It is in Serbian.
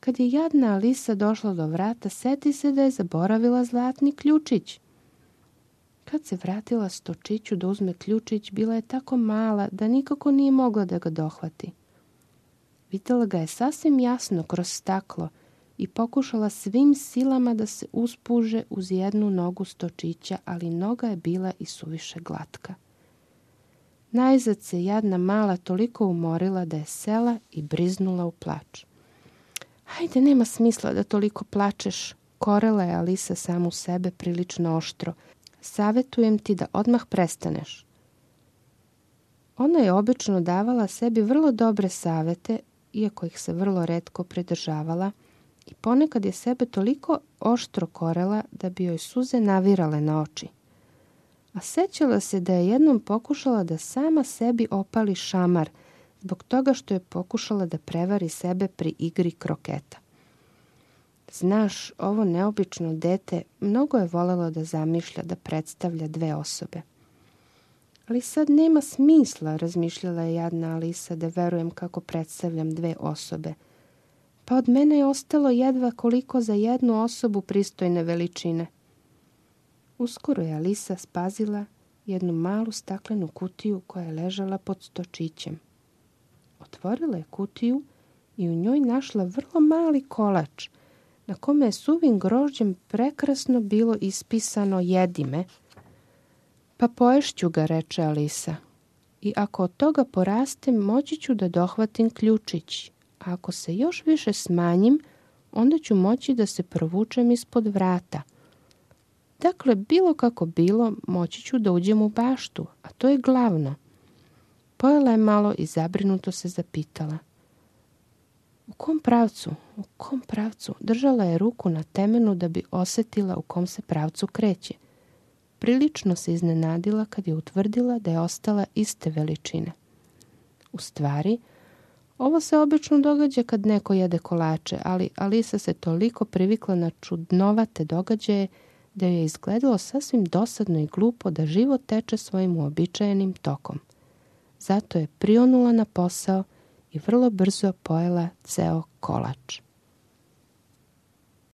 Kad je jadna Alisa došla do vrata, seti se da je zaboravila zlatni ključić. Kad se vratila stočiću da uzme ključić, bila je tako mala da nikako nije mogla da ga dohvati. Videla ga je sasvim jasno kroz staklo i pokušala svim silama da se uspuže uz jednu nogu stočića, ali noga je bila i suviše glatka. Najzad se jadna mala toliko umorila da je sela i briznula u plač. Hajde, nema smisla da toliko plačeš, korela je Alisa samu sebe prilično oštro. Savetujem ti da odmah prestaneš. Ona je obično davala sebi vrlo dobre savete, iako ih se vrlo retko pridržavala, i ponekad je sebe toliko oštro korela da bi joj suze navirale na oči. A sećala se da je jednom pokušala da sama sebi opali šamar, zbog toga što je pokušala da prevari sebe pri igri kroketa. Znaš, ovo neobično dete mnogo je voljelo da zamišlja da predstavlja dve osobe. Ali sad nema smisla, razmišljala je jadna Alisa, da verujem kako predstavljam dve osobe. Pa od mene je ostalo jedva koliko za jednu osobu pristojne veličine. Uskoro je Alisa spazila jednu malu staklenu kutiju koja je ležala pod stočićem. Otvorila je kutiju i u njoj našla vrlo mali kolač, na kome je suvim grožđem prekrasno bilo ispisano jedime. Pa poješću ga, reče Alisa, i ako od toga porastem, moći ću da dohvatim ključić, a ako se još više smanjim, onda ću moći da se provučem ispod vrata. Dakle, bilo kako bilo, moći ću da uđem u baštu, a to je glavno. Pojela je malo i zabrinuto se zapitala. U kom pravcu? Držala je ruku na temenu da bi osetila u kom se pravcu kreće. Prilično se iznenadila kad je utvrdila da je ostala iste veličine. U stvari, ovo se obično događa kad neko jede kolače, ali Alisa se toliko privikla na čudnovate događaje da joj je izgledalo sasvim dosadno i glupo da život teče svojim uobičajenim tokom. Zato je prionula na posao i vrlo brzo pojela ceo kolač.